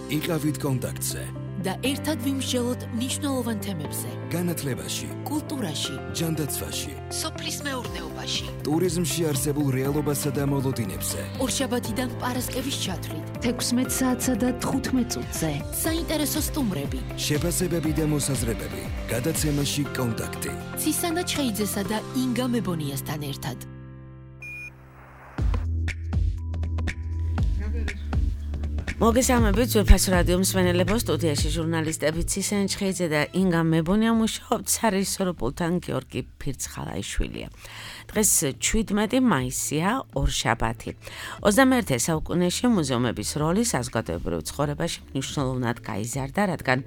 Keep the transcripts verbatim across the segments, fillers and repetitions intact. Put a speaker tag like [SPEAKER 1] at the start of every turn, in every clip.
[SPEAKER 1] იყავით კონტაქტზე
[SPEAKER 2] და ერთად ვიმსჯელოთ მნიშვნელოვან თემებზე.
[SPEAKER 1] განათლებაში,
[SPEAKER 2] კულტურაში,
[SPEAKER 1] ჯანდაცვაში,
[SPEAKER 2] სოფლის მეურნეობაში,
[SPEAKER 1] ტურიზმში არსებულ რეალობასა და მოლოდინებზე.
[SPEAKER 2] ორშაბათიდან პარასკევის ჩათვლით, თექვსმეტ საათსა და თხუთმეტ წუთზე. საინტერესო სტუმრები,
[SPEAKER 1] შეფასებები და მოსაზრებები. გადაცემაში კონტაქტი.
[SPEAKER 2] ცისანა ჩხეიძესა და ინგა მებონიასთან ერთად.
[SPEAKER 3] მოგესალმებით ძვირფას რადიო მსმენელებო, სტუდიაში ჟურნალისტები ცისანა ჩხეიძე და ინგა მებონია მუშაობთ სარესოროპულთან გიორგი ფირცხალაიშვილია. დღეს შვიდმეტი მაისია, ორშაბათი. ოცდამეერთე საუკუნეში მუზეუმების როლი საზოგადოებრივ ცხოვრებაში მნიშვნელოვნად გაიზარდა, რადგან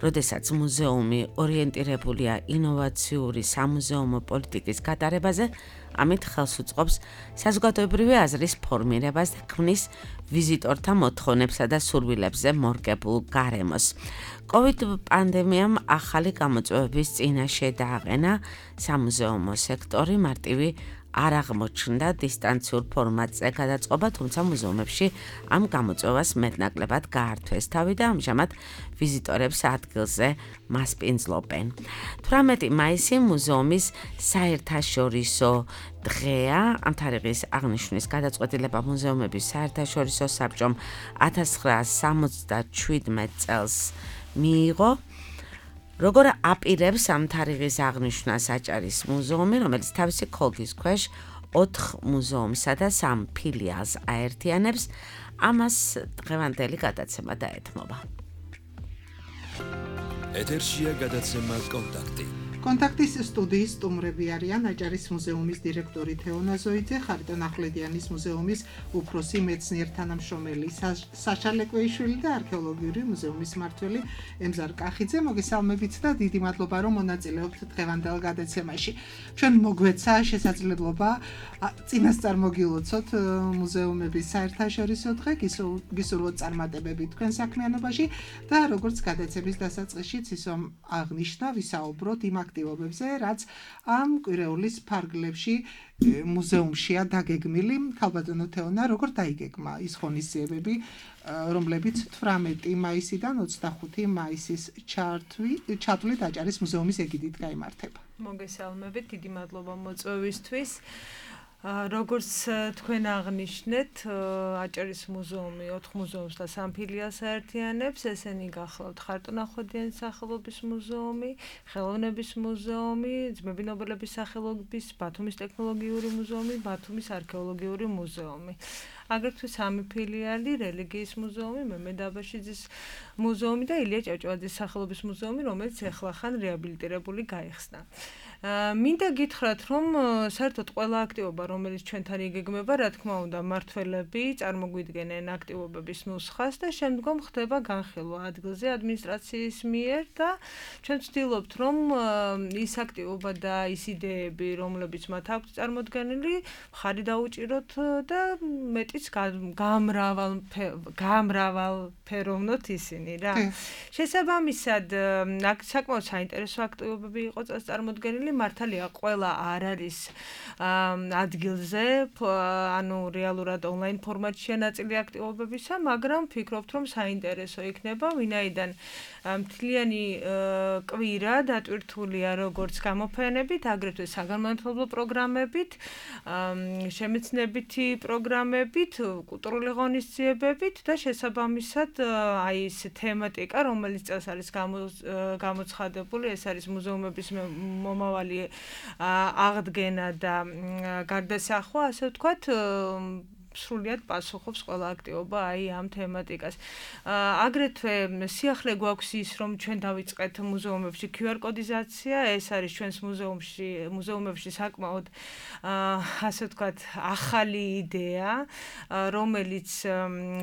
[SPEAKER 3] როდესაც მუზეუმი ორიენტირებულია ინოვაციური სამუზეუმო პოლიტიკის გატარებაზე, ამით ხელს უწყობს საზოგადოებრივი აზრის ფორმირებას და ქმნის ვიზიტორთა მოთხოვნებსა და სურვილებზე მორგებულ გარემოს. კოვიდ პანდემიამ ახალი გამოწვევების წინაშე დააყენა სამუზეუმო სექტორი, მარტივი არ აღმოჩნდა დისტანციურ ფორმატზე გადაწყობა, თუმცა მუზეუმებში ამ გამოწვევას მეტნაკლებად გაართვეს თავი და ამჟამად ვიზიტორებს ადგილზე მასპინძლობენ. თვრამეტი მაისი მუზეუმის საერთაშორისო დღეა. ამ თარიღის აღნიშვნის გადაწყვეტილება მუზეუმების საერთაშორისო საბჭომ ათას ცხრაას სამოცდაშვიდმეტ წელს მიიღო. როგორ აპირებს ამ თარიღის აღნიშვნას აჭარის მუზეუმი, რომელიც თავისი ქოლგის ქვეშ ოთხ მუზეუმსა და სამ ფილიალს აერთიანებს, ამას დღევანდელი გადაცემა დაეთმობა.
[SPEAKER 1] ეთერშია გადაცემა კონტაქტი.
[SPEAKER 4] კონტაქტის სტუდიის სტუმრები არიან აჭარის მუზეუმის დირექტორი თეონა ზოიძე, ხარიტონ ახვლედიანის მუზეუმის უფროსი მეცნიერ-თანამშრომელი საშა ლეკვეიშვილი და არქეოლოგიური მუზეუმის მმართველი ემზარ კახიძე. მოგესალმებით და დიდი მადლობა, რომ მონაწილეობთ დღევანდელ გადაცემაში. ჩვენ მოგვეცა შესაძლებლობა წინასწარ მოგილოცოთ მუზეუმების საერთაშორისო დღე, გისურვოთ წარმატებები თქვენ საქმიანობაში და როგორც გადაცემის დასაწყისშიც ისომ აღნიშნა, ვისაუბროთ იმ აქტივობებზე, რაც ამ კვირეულის ფარგლებში მუზეუმშია დაგეგმილი. ქალბატონო თეონა, როგორ დაიგეგმა ის ღონისძიებები, რომლებიც თვრამეტი მაისიდან ოცდახუთი მაისის ჩათვლით აჭარის მუზეუმის ეგიდით გაიმართება?
[SPEAKER 5] მოგესალმებით, დიდი მადლობა მოწვევისთვის. როგორც თქვენ აღნიშნეთ, აჭარის მუზეუმი ოთხ მუზეუმს და სამ ფილიალს აერთიანებს. ესენი გახლავთ ხარიტონ ახვლედიანის სახელობის მუზეუმი, ხელოვნების მუზეუმი, ძმები ნობელების სახელობის, ბათუმის ტექნოლოგიური მუზეუმი, ბათუმის არქეოლოგიური მუზეუმი. აგრეთვე სამი ფილიალი, რელიგიის მუზეუმი, მემედ აბაშიძის მუზეუმი და ილია ჭავჭავაძის სახელობის მუზეუმი, რომელიც ახლახან რეაბილიტირებული გაიხსნა. მინდა გითხრათ, რომ საერთოდ ყველა აქტივობა, რომელიც ჩვენთან იგეგმება, რა თქმა უნდა, მმართველები წარმოგვიდგენენ აქტივობების ნუსხას და შემდგომ ხდება განხილვა ადგილზე ადმინისტრაციის მიერ და ჩვენ ვცდილობთ, რომ ის აქტივობა და ის იდეები, რომლებიც მათ აქვთ წარმოდგენილი, მხარი დაუჭიროთ და მეტიც გამრავალ გამრავალფეროვნოთ ისინი რა. შესაბამისად, საკმაოდ საინტერესო აქტივობები იყო წარმოდგენილი. მართალია, ყველა არ არის ადგილზე, ანუ რეალურად ონლაინ ფორმატშია ნაწილი აქტივობებისა, მაგრამ ვფიქრობთ, რომ საინტერესო იქნება, ვინაიდან მთლიანი კვირა დატვირთულია როგორც გამოფენებით, აგრეთვე საგანმანათლებლო პროგრამებით, შემეცნებითი პროგრამებით, კულტურული ღონისძიებებით და შესაბამისად აი ეს თემატიკა, რომელიც წელს არის გამოცხადებული, ეს არის მუზეუმების მომავალი აღდგენა და გარდასახვა, ასე ვთქვათ, სრულიად პასუხობს ყველა აქტივობა აი ამ თემატიკას. აგრეთვე სიახლე გვაქვს ის, რომ ჩვენ დავიწყეთ მუზეუმებში ქიუ არ კოდიზაცია, ეს არის ჩვენს მუზეუმში, მუზეუმებში საკმაოდ ასე ვთქვათ, ახალი იდეა, რომელიც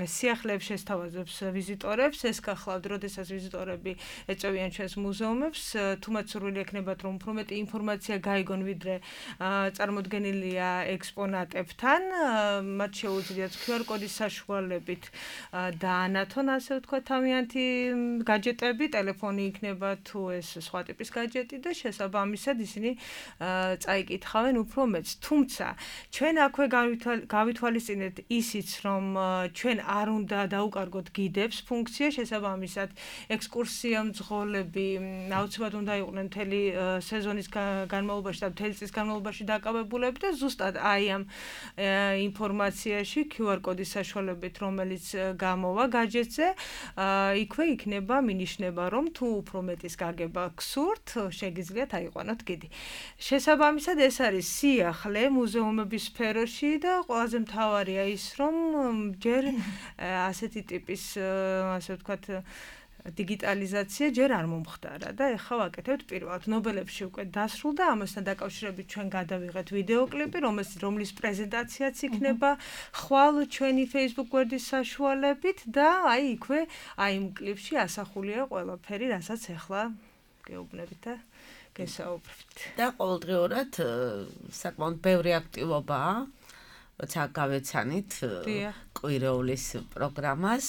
[SPEAKER 5] სიახლეებს შესთავაზებს ვიზიტორებს. ეს გახლავთ, როდესაც ვიზიტორები ეწევიან ჩვენს მუზეუმებს, თუმცა სურვილი ექნებათ, რომ უფრო მეტი ინფორმაცია გაიგონ, ვიდრე წარმოდგენილია ექსპონატებთან, მათ შეუძლიათ ქიუ არ კოდის საშუალებით დაანათონ, ასე ვთქვათ, თავიანთი გაჯეტები, ტელეფონი იქნება თუ ეს სხვა ტიპის გაჯეტი და შესაბამისად ისინი წაიკითხავენ უფრო მეც. თუმცა ჩვენ აქვე გავითვალისწინეთ ისიც, რომ ჩვენ არ უნდა დაუკარგოთ გიდებს ფუნქცია, შესაბამისად ექსკურსია მძღოლები აუცილებლად უნდა იყვნენ მთელი სეზონის განმავლობაში და მთელი წლის განმავლობაში დაკავებულები და ზუსტად აი ამ ინფორმაციაში ქიუ არ კოდის საშუალებით, რომელიც გამოვა გაჯეტზე, იქვე იქნება მინიშნება, რომ თუ უფრო მეტის გაგება გსურთ, შეგიძლიათ აიყვანოთ გიდი. შესაბამისად ეს არის სიახლე მუზეუმების სფეროში და ყველაზე მთავარია ის, რომ ჯერ ასეთი ტიპის, ასე ვთქვათ, დიგიტალიზაცია ჯერ არ მომხდარა და ეხლა ვაკეთებთ პირველად. ნობელებში უკვე დასრულდა, ამასთან დაკავშირებით ჩვენ გადავიღეთ ვიდეოკლიპი, რომლის პრეზენტაციაც იქნება ხვალ ჩვენი Facebook გვერდის საშუალებით და აი იქვე აი იმ კლიპში ასახულია ყველაფერი, რასაც ეხლა გეუბნებით და გესაუბრებთ.
[SPEAKER 3] და ყოველდღიურად საკმაოდ ბევრი აქტივობაა, როცა გავეცანით კვირეულის პროგრამას.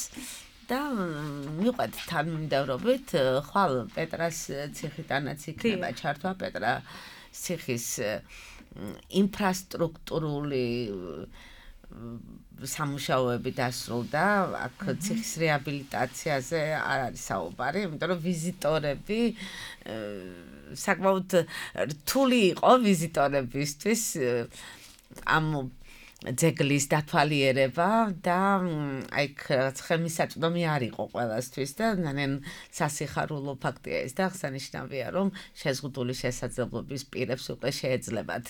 [SPEAKER 3] და მივყვეთ თანმიმდევრობით, ხვალ პეტრას ციხიდანაც იქნება ჩართვა, პეტრა ციხის ინფრასტრუქტურული სამუშაოები დასრულდა, აქ ციხის რეაბილიტაციაზე არ არის საუბარი, იმიტომ რომ ვიზიტორები საკმაოდ რთული იყო ვიზიტორებისთვის ამ ძეგლის დათვალიერება და აი ხელმისაწვდომი არ იყო ყველასთვის და ნანენ სასიხარულო ფაქტია ეს და აღსანიშნავია რომ შეზღუდული შესაძლებლობის პირებს უკვე შეეძლებათ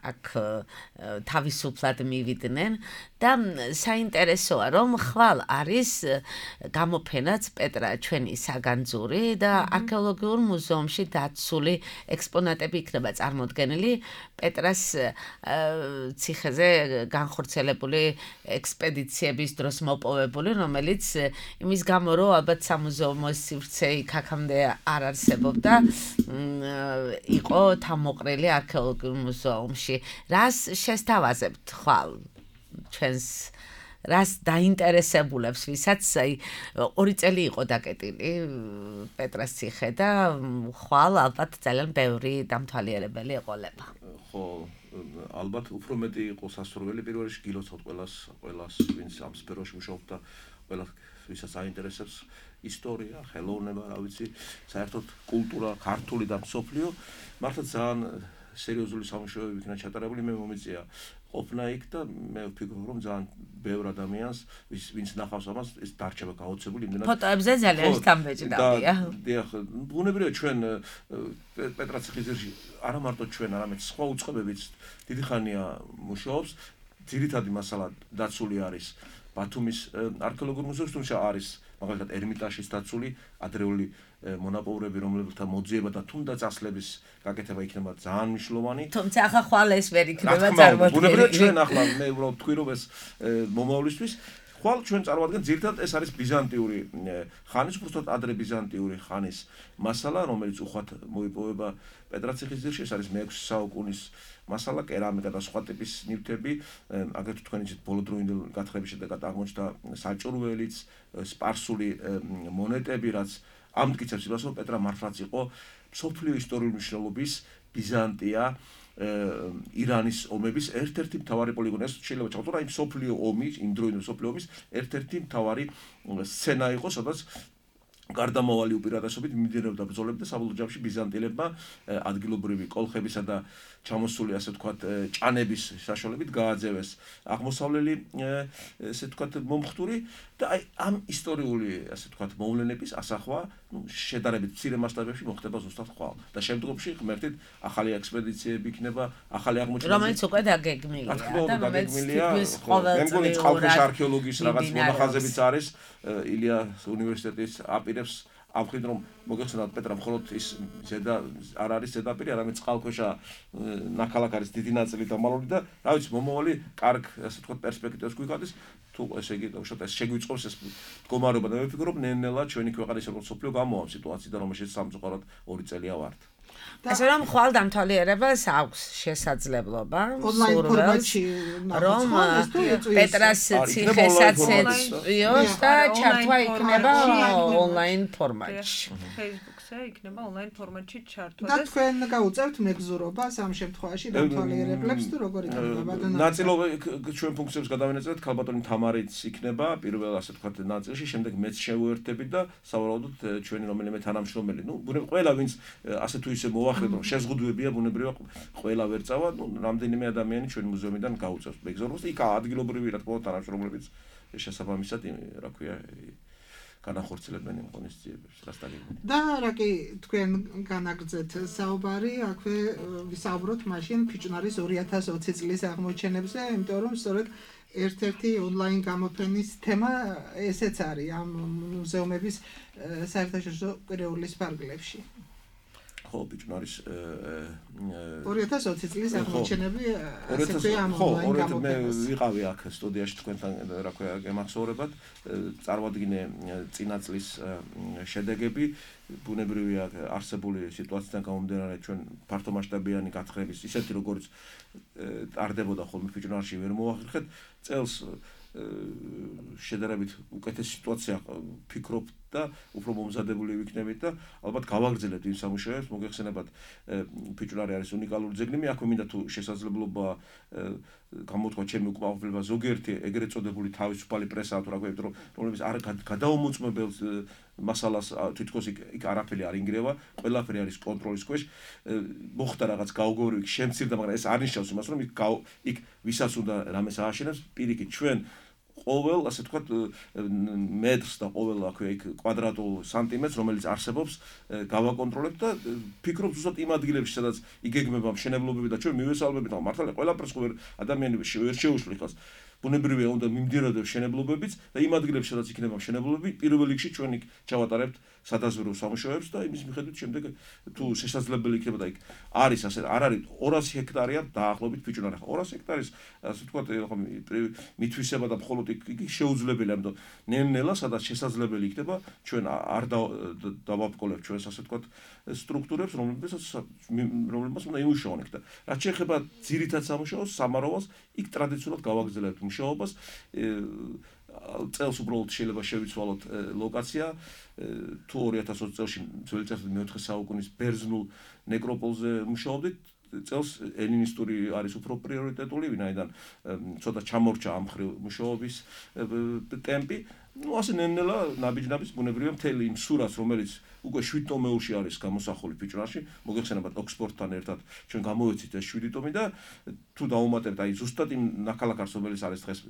[SPEAKER 3] აქ თავისუფლად მივიდნენ და საინტერესოა რომ ხვალ არის გამოფენაც პეტრა ჩვენი საგანძური და არქეოლოგიურ მუზეუმში დაცული ექსპონატები იქნება წარმოდგენილი პეტრას ციხეზე განხორციელებული ექსპედიციების დროს მოპოვებული, რომელიც იმის გამო რომ ალბათ სამუზეუმო სივრცე იქ აქამდე არ არსებობდა, იყო თავმოყრილი არქეოლოგიურ მუზეუმში. რას შესთავაზებთ ხვალ ჩვენს რას დაინტერესებულებს, ვისაც აი ორი წელი იყო დაკეტილი პეტრას ციხე და ხვალ ალბათ ძალიან ბევრი დამთვალიერებელი ეყოლება.
[SPEAKER 6] ხო, ალბათ უფრო მეტი იყო სასურველი პირველ რიგში გილოცავთ ყველას, ყველას ვინც ამ სფეროში მუშაობს და ყველა ვისაც აინტერესებს ისტორია, ხელოვნება, რა ვიცი, საერთოდ კულტურა, ქართული და მსოფლიო, მართლა ძალიან სერიოზული სამუშაოები იქნა ჩატარებული, მე მომიწია ყოფნა იქ და მე ვფიქრობ რომ ძალიან ბევრ ადამიანს ვინც ნახავს ამას ეს დარჩება გაოცებული იმდენად
[SPEAKER 3] ფოტოებზე ძალიან სტამბეჭდავია.
[SPEAKER 6] დიახ, ბუნებრივია ჩვენ პეტრა ციხისძირში არა მარტო ჩვენ, არამედ სხვა უწყებებიც დიდი ხანია მუშაობს. ძირითადი მასალა დაცული არის ბათუმის არქეოლოგიურ მუზეუმში, თუმცა არის მაგალითად ერმიტაჟის დაცული ადრეული მონაპოვრები, რომლებთა მოძიება და თუნდაც ასლების გაკეთება იქნება ძალიან მნიშვნელოვანი.
[SPEAKER 3] თუმცა ახლა ხვალ ეს ვერ იქნება წარმოდგენილი.
[SPEAKER 6] ბუნებრივია ჩვენ ახლა მე უბრალოდ თქვი რომ ეს მომავლისთვის ხვალ ჩვენ წარმოადგენთ ძირითადად ეს არის ბიზანტიური ხანის, უბრალოდ ადრე ბიზანტიური ხანის მასალა, რომელიც უხვად მოიპოვება პეტრა ციხისძირში, ეს არის მეექვსე საუკუნის მასალა, კერამიკა და სხვა ტიპის ნივთები, აგრეთვე თქვენი იცით ბოლოდროინდელ გათხრების შედეგად აღმოჩნდა საჭურველიც, სპარსული მონეტები, რაც ამტკიცებს იმას, რომ პეტრა მართლაც იყო მსოფლიო ისტორიული მნიშვნელობის ბიზანტია ირანის ომების ერთ-ერთი მთავარი პოლიგონი. ეს შეიძლება ჩავთვალოთ, აი მსოფლიო ომის, იმ დროინდელი მსოფლიო ომის ერთ-ერთი მთავარი სცენა იყო, სადაც გარდამავალი უპირატესობით მიმდინარეობდა ბრძოლები და საბოლოო ჯამში ბიზანტიელებმა ადგილობრივი კოლხებისა და ჩამოსული ასე ვთქვათ ჭანების საშუალებით გააძევეს აღმოსავლელი ესე ვთქვათ მომხდური და აი ამ ისტორიული ასე ვთქვათ მოვლენების ასახვა შედარებით მცირე მასშტაბებში მოხდება ზუსტად ხვალ და შემდგომში ღმერთით ახალი ექსპედიციები იქნება, ახალი აღმოჩენები,
[SPEAKER 3] რომელიც უკვე დაგეგმილია
[SPEAKER 6] და რომელიც თითქმის ყოველწლიურად წყალქვეშა არქეოლოგიის რაღაც მონახაზებიც არის ილიას უნივერსიტეტის აპირებს ამხრივ რომ მოგეხსენათ პეტრა მხოლოდ ის ზედა არ არის ზედაპირი, არამედ წყალქვეშა ნაქალაქ არის დიდი ნაწილი დამალული და რა ვიცი მომავალი კარგ ასე ვთქვათ პერსპექტივას გვიგადის თუ ესე იგი უშუალოდ ეს შეგვიწყობს ეს მდგომარეობა და მე ვფიქრობ ნელ-ნელა ჩვენი ქვეყანის როგორც სოფლიო გამოვა სიტუაციიდან რომელშიც სამწუხაროდ ორი წელია ვართ.
[SPEAKER 3] ასე რომ ხვალ დამთვალიერებას აქვს შესაძლებლობა
[SPEAKER 4] ონლაინ ფორმატში
[SPEAKER 3] რომ პეტრას ციხესაც ეწვიოს და ჩართვა იქნება ონლაინ ფორმატში.
[SPEAKER 5] Facebook-ზე იქნება ონლაინ ფორმატში ჩართვა
[SPEAKER 4] და თქვენ გაუწევთ მეგზურობას ამ შემთხვევაში დამთვალიერებლებს თუ როგორ იქნება და
[SPEAKER 6] ნაწილობა ჩვენ ფუნქციებს გადავინაწილეთ ქალბატონი თამარიც იქნება პირველ ასე ვთქვათ ნაწილში, შემდეგ მეც შევუერთდებით და სავარაუდოდ ჩვენი რომელიმე თანამშრომელი, ну, ყველა ვინც ასე თუ ისე მოახერხეთ, რომ შეზღუდვებია ბუნებრივია ყველა ვერ წავა, ну, რამდენიმე ადამიანი ჩვენი მუზეუმიდან გაუწევს მეგზურობას. იქ ადგილობრივი რა თქმა უნდა თანამშრომლებიც შესაბამისად, რა ქვია, განახორციელებენ იმ ღონისძიებებს, რასტაგებენ.
[SPEAKER 4] და რა კი თქვენ განაგრძეთ საუბარი, აქვე ვისაუბროთ მაშინ ფიჭვნარის ორი ათას ოცი წლის აღმოჩენებზე, იმიტომ რომ სწორედ ერთ-ერთი ონლაინ გამოფენის თემა ესეც არის ამ მუზეუმების საერთაშორისო კვირეულის ფარგლებში.
[SPEAKER 6] ხო, ფიჭვნარის
[SPEAKER 4] ორი ათას ოცი წლის აღმოჩენები ასეთი ამ ონლაინ გამოფენას.
[SPEAKER 6] მე ვიყავი აქ სტუდიაში თქვენთან, რა ქვია, გემახსოვრებად, წარვადგინე წინა წლის შედეგები, ბუნებრივია არსებული სიტუაციიდან გამომდინარე ჩვენ ფართომასშტაბიანი გათხრების ისეთი როგორც ტარდებოდა ხოლმე ფიჭვნარში ვერ მოახერხეთ, წელს შედარებით უკეთესი სიტუაცია ფიქრობ და უფრო მომზადებული ვიქნებით და ალბათ გავაგრძელებთ იმ სამუშაოებს, მოგეხსენებათ ფიჭვნარი არის უნიკალური ძეგლი, მე აქვე მინდა თუ შესაძლებლობა გამოთქვა ჩემი უკმაყოფილება ზოგიერთი ეგრეთ წოდებული თავისუფალი პრესა თუ რა ქვია, რომ რომლებიც არ გადაუმოწმებელ მასალას თითქოს იქ არაფერი არ ინგრევა, ყველაფერი არის კონტროლის ქვეშ. მოხდა რაღაც გაუგებრები, შემცირდა, მაგრამ ეს არ ნიშნავს იმას, რომ იქ იქ ვისაც უნდა რამეს ააშენებს, პირიქით ჩვენ ყოველ, ასე ვთქვათ, მეტრს და ყოველ აქვე იქ კვადრატულ სანტიმეტრს, რომელიც არსებობს, გავაკონტროლებთ და ფიქრობ ზუსტად იმ ადგილებში, სადაც იგეგმება მშენებლობები და ჩვენ მივესალმებით, მაგრამ მართალია ყველაფერს ხო ადამიანი ვერ შეუშლი ხალხს. ბუნებრივია უნდა მიმდინარეობდეს მშენებლობებიც და იმ ადგილებში, სადაც იქნება მშენებლობები, პირველ რიგში ჩვენ იქ ჩავატარებთ სადაზვერვო სამუშაოებს და იმის მიხედვით შემდეგ თუ შესაძლებელი იქნება და იქ არის ასე არ არის ორასი ჰექტარია დაახლოებით ფიჭვნარი. ორასი ჰექტარის ასე ვთქვათ, მითვისება და მხოლოდ იქ შეუძლებელია, ამიტომ ნელ-ნელა სადაც შესაძლებელი იქნება ჩვენ არ დავაბკოლებთ ჩვენს ასე ვთქვათ სტრუქტურებს, რომლებსაც რომლებსაც უნდა იმუშაონ იქ და რაც შეეხება ძირითად სამუშაოს, სამაროვანს, იქ ტრადიციულად გავაგრძელებთ მუშაობას. წელს უბრალოდ შეიძლება შევიცვალოთ ლოკაცია თუ ორი ათას ოცი წელში ძველი წელს მეოთხე საუკუნის ბერძნულ ნეკროპოლზე მუშაობდით, წელს ელინისტური არის უფრო პრიორიტეტული, ვინაიდან ცოტა ჩამორჩა ამ მხრივ მუშაობის ტემპი. ну ასე ნელ-ნელა ნაბიჯ-ნაბიჯ ბუნებრივია მთელი იმ სურათს, რომელიც უკვე შვიდ ტომეულში არის გამოსახული ფიჭვნარში, მოგეხსენებათ ოქსფორდთან ერთად ჩვენ გამოვეცით ეს შვიდი ტომი და თუ დაუმატებთ აი ზუსტად იმ ნაქალაქარს, რომელიც არის დღეს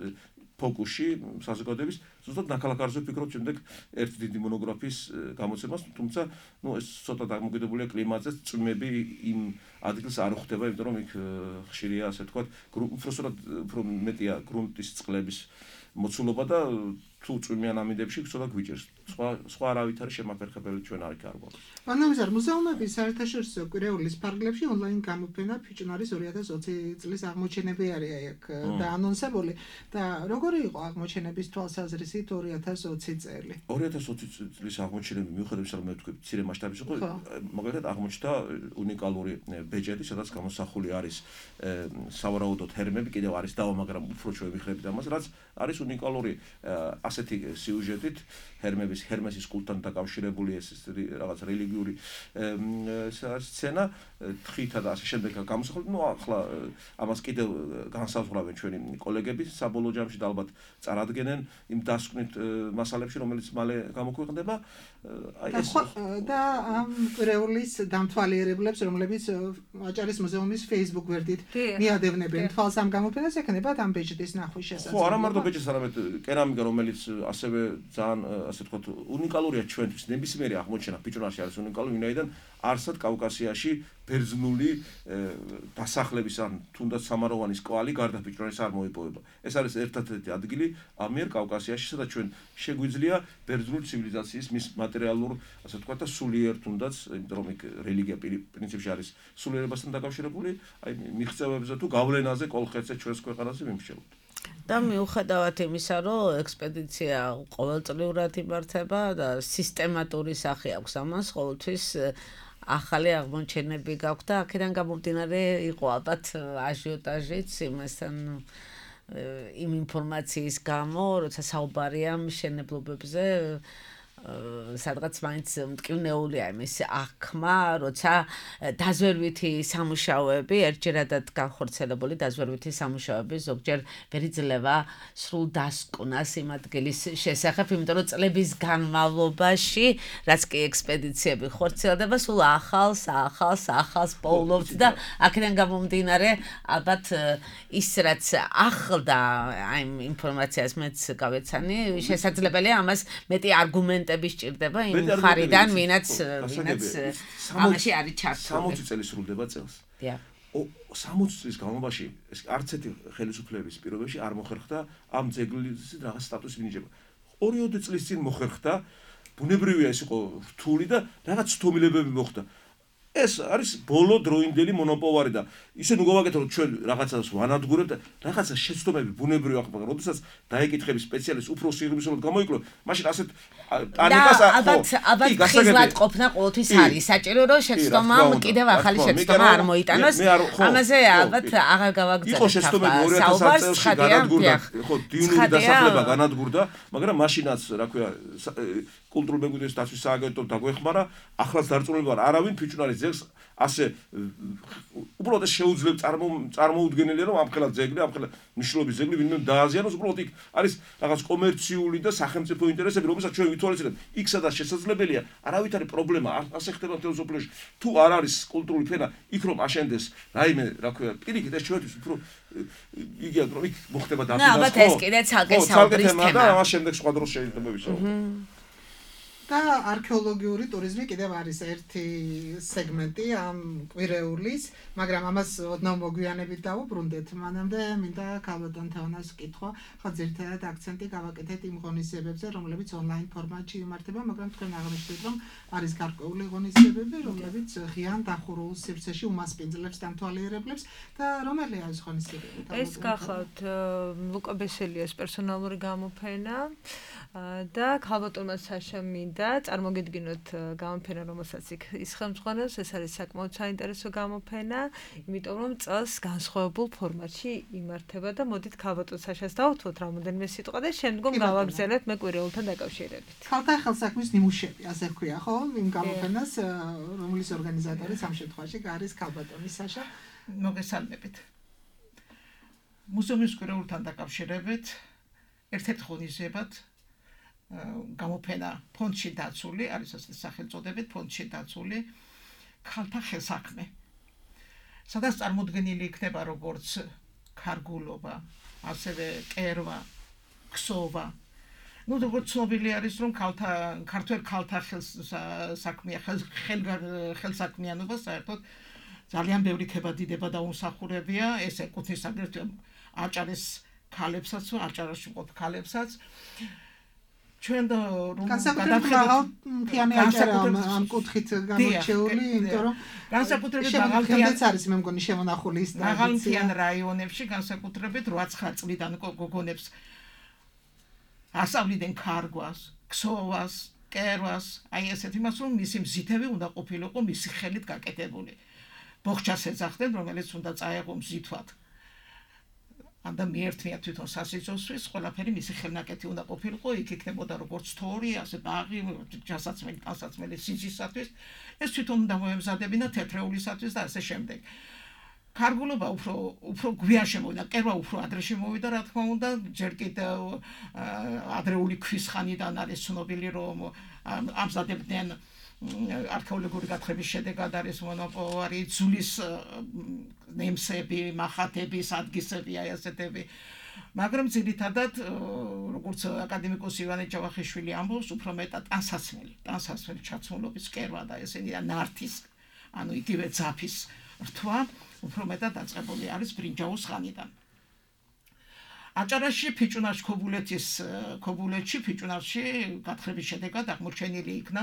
[SPEAKER 6] ფოკუსში საზოგადოების, ზუსტად ნაქალაქარზე ვფიქრობ შემდეგ ერთ დიდი მონოგრაფიის გამოცემას, თუმცა ну ეს ცოტა დამოკიდებულია კლიმატზე, წვიმები იმ ადგილს არ ხვდება, იმიტომ რომ იქ ხშირია ასე ვთქვათ, უფრო სწორად უფრო მეტია გრუნტის წყლების მოცულობა და თუ წვიმიან ამინდებში ცოტა გვიჭერს. სხვა სხვა არავითარი შემაფერხებელი ჩვენ არ იქ.
[SPEAKER 4] ანალიზარ მუზეუმების საერთაშორისო კვირეულის ფარგლებში ონლაინ გამოფენა ფიჭვნარის ორი ათას ოცი წლის აღმოჩენები არის აქ და ანონსებული და როგორი იყო აღმოჩენების თვალსაზრისით ორი ათას ოცი წელი?
[SPEAKER 6] ორი ათას ოცი წლის აღმოჩენები მიუხედავად იმისა, რომ მე ვთქვი, მცირე მასშტაბის იყო, მაგალითად აღმოჩნდა უნიკალური ბეჭედი, სადაც გამოსახული არის სავარაუდოდ ჰერმები, კიდევ არის დავა, მაგრამ უფრო ჩვენ ვიხრებით ამას, რაც არის უნიკალური ასეთი სიუჟეტით ჰერმების ჰერმესის კულტთან დაკავშირებული ეს რაღაც რელიგიური სცენა თხითა და ასე შემდეგ გამოსახული. ну ახლა ამას კიდევ განსაზღვრავენ ჩვენი კოლეგები საბოლოო ჯამში და ალბათ წარადგენენ იმ დასკვნით მასალებში, რომელიც მალე გამოქვეყნდება.
[SPEAKER 4] აი ეს და ამ კვირეულის დამთვალიერებლებს, რომლებიც აჭარის მუზეუმის Facebook გვერდით მიადევნებენ თვალს ამ გამოფენას, ექნებათ ამ ბეჭდის ნახვის შესაძლებლობა.
[SPEAKER 6] ხო, არა მარტო ბეჭდის, არამედ კერამიკა, რომელიც ასევე ძალიან ასე ვთქვათ უნიკალურია ჩვენთვის. ნებისმიერი აღმოჩენა ფიჭვნარში არის უნიკალური, ვინაიდან არსად კავკასიაში ბერძნული დასახლების ან თუნდაც სამაროვანის კვალი გარდა ფიჭვნარის არ მოიპოვება. ეს არის ერთ-ერთი ადგილი ამიერ კავკასიაში, სადაც ჩვენ შეგვიძლია ბერძნული ცივილიზაციის მის მატერიალურ, ასე ვთქვათ, და სულიერ თუნდაც, იმიტომ რომ იქ რელიგია პრინციპში არის სულიერებასთან დაკავშირებული, აი მიღწევებზე თუ გავლენაზე კოლხეთზე ჩვენს ქვეყანაზე მიმრჩევლთ.
[SPEAKER 3] და მიუხედავად იმისა, რომ ექსპედიცია ყოველწლიურად იმართება და სისტემატური სახე აქვს ამას, ყოველთვის ახალი აღმოჩენები გაქვთ და აქედან გამომდინარე იყო ალბათ აჟიოტაჟიც იმასთან იმ ინფორმაციის გამო, როცა საუბარია მშენებლობებზე სადღაც მაინც მტკივნეულია იმის აღქმა, როცა დაზვერვითი სამუშაოები, ერთჯერადად განხორციელებული დაზვერვითი სამუშაოები ზოგჯერ ვერ იძლევა სრულ დასკვნას იმ ადგილის შესახებ, იმიტომ რომ წლების განმავლობაში, რაც კი ექსპედიციები ხორციელდება, სულ ახალს, ახალს, ახალს პოულობთ და აქედან გამომდინარე, ალბათ ის რაც ახლდა ამ ინფორმაციას მეც გავეცანი, შესაძლებელია ამას მეტი არგუმენტი სჭირდება იმ ხარიდან, ვინაც ვინაც ამაში არის ჩართული.
[SPEAKER 6] სამოცი წელი სრულდება წელს.
[SPEAKER 3] დიახ.
[SPEAKER 6] სამოცი წლის განმავლობაში ეს არც ერთი ხელისუფლების პირობებში არ მოხერხდა ამ ძეგლის რაღაც სტატუსი მინიჭება. ორი წლის წინ მოხერხდა, ბუნებრივია ეს იყო რთული და რაღაც თომილებები მოხდა. ეს არის ბოლო დროინდელი მონოპოვარი და ისე ნუ გავაკეთე რომ ჩვენ რაღაცას ვანადგურებთ და რაღაცა შეცდომები ბუნებრივი აღება, როდესაც დაეკითხები სპეციალისტს უფრო სიღრმისეულად გამოიკლო, მაშინ ასეთ პანიკას
[SPEAKER 3] ალბათ ალბათ ხიზლად ყოფნა ყოველთვის არის საჭირო რომ შეცდომამ კიდევ ახალი შეცდომა არ მოიტანოს. ამაზე ალბათ აღარ გავაგზავნებ.
[SPEAKER 6] იყო შეცდომები ორი ათას წელს განადგურდა, ხო, დინური დასახლება განადგურდა, მაგრამ მაშინაც, რა ქვია, კულტურული მემკვიდრეობის დაცვის სააგენტომ დაგვეხმარა, ახლაც დარწმუნებული ვარ, არავინ ფიჭვნარის ძეგლს ასე უბრალოდ შეუძლებ წარმოუდგენელია რომ ამხელა ძეგლი, ამხელა მნიშვნელობის ძეგლი ვინმე დააზიანოს, უბრალოდ იქ არის რაღაც კომერციული და სახელმწიფო ინტერესები, რომელსაც ჩვენ ვითვალისწინებთ. იქ სადაც შესაძლებელია, არავითარი პრობლემა ასე ხდება მთელ სოფლიოში. თუ არ არის კულტურული ფენა, იქ რომ აშენდეს რაიმე, რა ქვია, პირიქით ეს ჩვენთვის უფრო იგია რომ იქ მოხდება დაფინა.
[SPEAKER 3] ნუ ალბათ ეს კიდე ცალკე საუბრის თემა
[SPEAKER 6] და ამას შემდეგ სხვა დროს შეიძლება ვისაუბროთ.
[SPEAKER 4] და არქეოლოგიური ტურიზმი კიდევ არის ერთი სეგმენტი ამ კვირეულის, მაგრამ ამას ოდნავ მოგვიანებით დავუბრუნდეთ. მანამდე მინდა ქალბატონ თეონას ვკითხო, ხო ძირითადად აქცენტი გავაკეთეთ იმ ღონისძიებებზე, რომლებიც ონლაინ ფორმატში იმართება, მაგრამ თქვენ აღნიშნეთ, რომ არის გარკვეული ღონისძიებები, რომლებიც ღიან დახურულ სივრცეში უმასპინძლებს დამთვალიერებლებს და რომელი არის ღონისძიებები?
[SPEAKER 5] ეს გახლავთ ლუკა ბესელიას პერსონალური გამოფენა და ქალბატონმა საშა მინდა წარმოგიდგინოთ გამოფენა, რომელსაც იქ ის ხელმძღვანელობს. ეს არის საკმაოდ საინტერესო გამოფენა, იმიტომ რომ წელს განსხვავებულ ფორმატში იმართება და მოდით ქალბატონ საშას დავუთმოთ რამოდენიმე სიტყვა და შემდგომ გავაგზავნებთ მე კვირეულთან დაკავშირებით.
[SPEAKER 4] ქალთა ხელსაქმის ნიმუშები, ასე ვქვია, ხო? იმ გამოფენას, რომლის ორგანიზატორიც ამ შემთხვევაში არის ქალბატონი საშა.
[SPEAKER 7] მოგესალმებით. მუზეუმის კვირეულთან დაკავშირებით ერთ-ერთ ღონისძიებად გამოფენა ფონდში დაცული, არის ასე სახელწოდებით ფონდში დაცული ქალთა ხელსაქმე. სადაც წარმოდგენილი იქნება როგორც ქარგულობა, ასევე კერვა, ქსოვა. ნუ როგორც ცნობილი არის, რომ ქალთა ქართველ ქალთა ხელსაქმე ხელსაქმიანობა საერთოდ ძალიან ბევრი ქებადიდება და უმსახურებია, ეს ეკუთვნის აგრეთვე აჭარის ქალებსაც, აჭარაში მყოფ ქალებსაც. ჩვენ და რომ
[SPEAKER 4] გადავხედოთ მთიანი აჭარა ამ კუთხით გამორჩეული, იმიტომ რომ
[SPEAKER 7] განსაკუთრებით
[SPEAKER 4] მაღალმთიანიც არის მე მგონი შემონახული ის
[SPEAKER 7] მაღალმთიან რაიონებში განსაკუთრებით რვა ცხრა წლიდან გოგონებს ასავლიდან ქარგვას, ქსოვას, კერვას, აი ესეთ იმას რომ მისი მზითები უნდა ყოფილიყო მისი ხელით გაკეთებული. ბოხჩას ეძახდნენ, რომელიც უნდა წაეღო მზითვად. ამდა მიერთმია თვითონ სასიცოცხლოს, ყველაფერი მისი ხელნაკეთი უნდა ყოფილიყო, იქ იქნებოდა როგორც თორი, ასე ბაღი, ჯასაცმელი, ტანსაცმელი სიძისათვის, ეს თვითონ უნდა მოემზადებინა თეთრეულისათვის და ასე შემდეგ. ქარგულობა უფრო უფრო გვიან შემოვიდა, კერვა უფრო ადრე შემოვიდა, რა თქმა უნდა, ჯერ კიდევ ადრეული ქვის ხანიდან არის ცნობილი, რომ ამზადებდნენ არქეოლოგიური გათხრების შედეგად არის მონოპოვარი, ძulis ნემსები, მახათები, სადგისები, აი ასეთები. მაგრამ ძირითადად, როგორც აკადემიკოს ივანე ჯავახიშვილი ამბობს, უფრო მეტად ტანსაცმელი, ტანსაცმელი ჩაცმულობის კერვა და ესენი და ნართის, ანუ იგივე ძაფის რთვა, უფრო მეტად დაწყებული არის ბრინჯაოს ხანიდან. აჭარაში ფიჭვნარში ქობულეთის ქობულეთში ფიჭვნარში გათხრების შედეგად აღმოჩენილი იქნა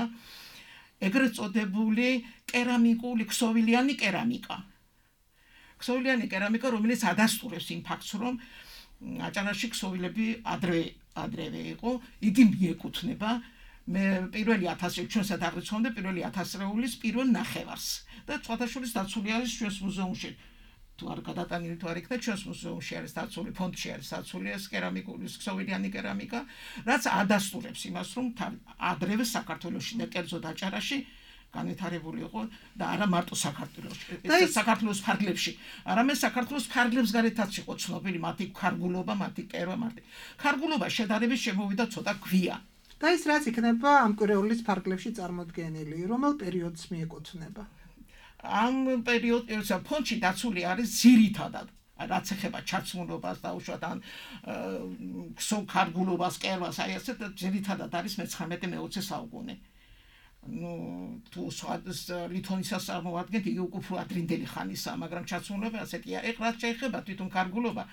[SPEAKER 7] ეგრეთ წოდებული კერამიკული ქსოვილიანი კერამიკა. ქსოვილიანი კერამიკა, რომელიც ადასტურებს იმ ფაქტს, რომ აჭარაში ქსოვილები ადრე ადრევე იყო, იგი მიეკუთვნება მე პირველი ათასი ჩვენსაც აღრიცხვამდე პირველი ათასწლეულის პირველ ნახევარს და სხვადასხვა დაცული არის ჩვენს მუზეუმში. თუ არ გადატანილი თუ არ იქნა ჩვენს მუზეუმში არის დაცული, ფონდში არის დაცული ეს კერამიკული ქსოვილიანი კერამიკა, რაც ადასტურებს იმას, რომ ადრევე საქართველოში და კერძოდ აჭარაში განვითარებული იყო და არა მარტო საქართველოში, საქართველოს ფარგლებში, არამედ საქართველოს ფარგლებს გარეთაც იყო ცნობილი მათი ქარგულობა, მათი კერვა, მათი ქარგულობა შედარებით შემოვიდა ცოტა გვია.
[SPEAKER 4] და ის რაც იქნება ამ კვირეულის ფარგლებში წარმოდგენილი, რომელ პერიოდს მიეკუთვნება?
[SPEAKER 7] ამ პერიოდს ფონდში დაცული არის ძირითადად რაც ეხება ჩაცმულობას და უშუალოდ ან ქსოქარგულობას, კერვას, აი ასეთ ძირითადად არის მეცხრამეტე მეოცე საუკუნე. ნუ თუ სხვადას ლითონისას წარმოვადგენთ, იგი უკვე უფრო ადრინდელი ხანისაა, მაგრამ ჩაცმულობა ასეთია. ეხლა შეიძლება თვითონ კარგულობა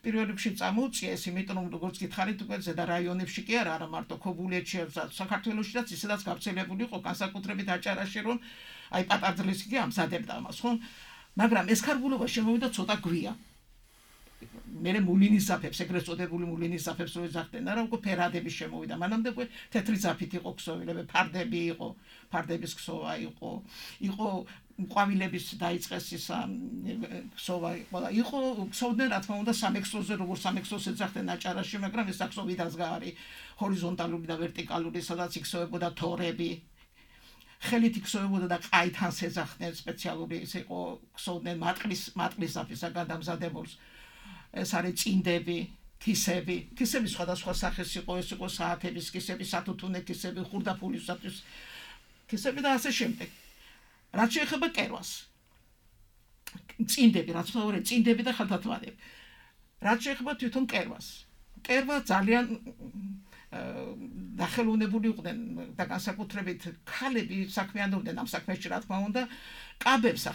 [SPEAKER 7] პირველ რიგში წამოუწია ეს, იმიტომ რომ როგორც გითხარით, უკვე ზედა რაიონებში კი არა, არა მარტო ქობულეთში, საქართველოშიც ისედაც გავრცელებული იყო, განსაკუთრებით აჭარაში, რომ აი პატარძლესი კი ამზადებდა ამას, ხო? მაგრამ ეს კარგულობა შემოვიდა ცოტა გვია. მერე მულინის ზაფებს, ეგრეთ წოდებული მულინის ზაფებს რო ეძახდნენ, არა უკვე ფერადები შემოვიდა. მანამდე უკვე თეთრი ზაფით იყო ქსოვილები, ფარდები იყო, ფარდების ქსოვა იყო, იყო ყვავილების დაიწყეს ის ქსოვა იყო და იყო ქსოვდნენ რა თქმა უნდა სამექსლოზე, როგორც სამექსლოს ეძახდნენ აჭარაში, მაგრამ ეს ქსოვი დაზგარი, ჰორიზონტალური და ვერტიკალური, სადაც იქსოვებოდა თორები. ხელით იქსოვებოდა და ყაითანს ეძახდნენ სპეციალური ის იყო ქსოვდნენ მატყლის მატყლის ზაფისაგან დამზადებულს. ეს არის წინდები, კისები, კისები სხვადასხვა სახის იყო, ეს იყო საათების კისები, სათუთუნე კისები, ხურდაფულისათვის კისები და ასე შემდეგ. რაც შეეხება კერვას. წინდები, რაც თორე წინდები და ხალხათვალები. რაც შეეხება თვითონ კერვას. კერვა ძალიან დახელოვნებული იყვნენ და განსაკუთრებით ქალები საქმიანობდნენ ამ საქმეში, რა თქმა უნდა, კაბებს